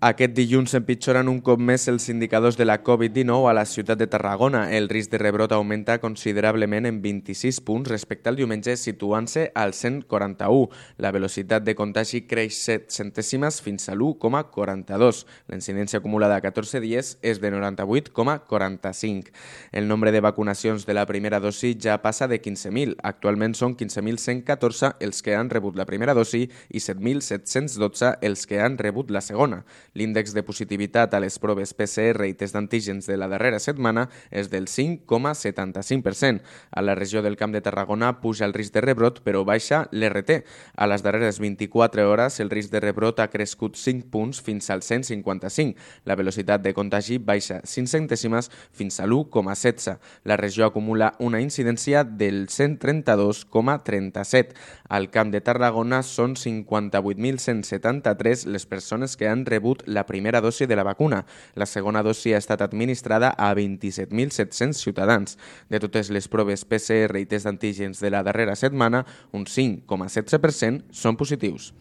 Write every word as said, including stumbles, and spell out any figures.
Aquest dilluns empitjoren un cop més els indicadors de la covid dinou a la ciutat de Tarragona. El risc de rebrot augmenta considerablement en vint-i-sis punts respecte al diumenge, situant-se al cent quaranta-u. La velocitat de contagi creix set centèsimes fins a l'u coma quaranta-dos. La incidència acumulada a catorze dies és de noranta-vuit coma quaranta-cinc. El nombre de vacunacions de la primera dosi ja passa de quinze mil. Actualment són quinze mil cent catorze els que han rebut la primera dosi i set mil set-cents dotze els que han rebut la segona. L'índex de positivitat a les proves P C R i test d'antígens de la darrera setmana és del cinc coma setanta-cinc per cent. A la regió del Camp de Tarragona puja el risc de rebrot, però baixa l'R T. A les darreres vint-i-quatre hores, el risc de rebrot ha crescut cinc punts fins al cent cinquanta-cinc. La velocitat de contagi baixa cinc centèsimes fins a l'u coma setze. La regió acumula una incidència del cent trenta-dos coma trenta-set. Al Camp de Tarragona són cinquanta-vuit mil cent setanta-tres les persones que han rebut la primera dosi de la vacuna. La segona dosi ha estat administrada a vint-i-set mil set-cents ciutadans. De totes les proves P C R i test d'antígens de la darrera setmana, un cinc coma setze per cent són positius.